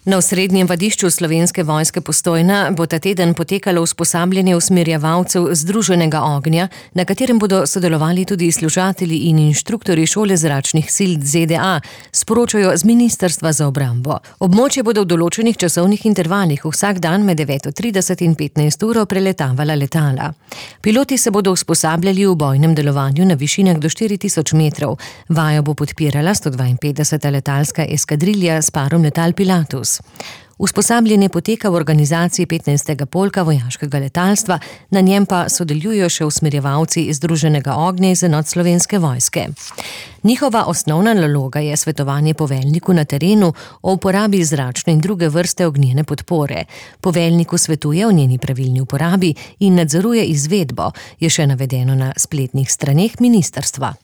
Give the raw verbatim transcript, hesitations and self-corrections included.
Na osrednjem vadišču Slovenske vojske Postojna bo ta teden potekalo usposabljanje usmerjevalcev Združenega ognja, na katerem bodo sodelovali tudi služatelji in inštruktorji šole zračnih sil Z D A, sporočajo z Ministrstva za obrambo. Območje bodo v določenih časovnih intervalih vsak dan med deveto trideset in petnajst uro preletavala letala. Piloti se bodo usposabljali v bojnem delovanju na višinah do štiri tisoč metrov. Vajo bo podpirala sto dvainpetdeseta letalska eskadrilja s parom letal Pilatus. Usposabljanje poteka v organizaciji petnajstega polka vojaškega letalstva, na njem pa sodelujo še usmerjevalci Združenega ognja iz enot Slovenske vojske. Njihova osnovna naloga je svetovanje poveljniku na terenu o uporabi zračne in druge vrste ognjene podpore. Poveljniku svetuje o njeni pravilni uporabi in nadzoruje izvedbo, je še navedeno na spletnih straneh ministrstva.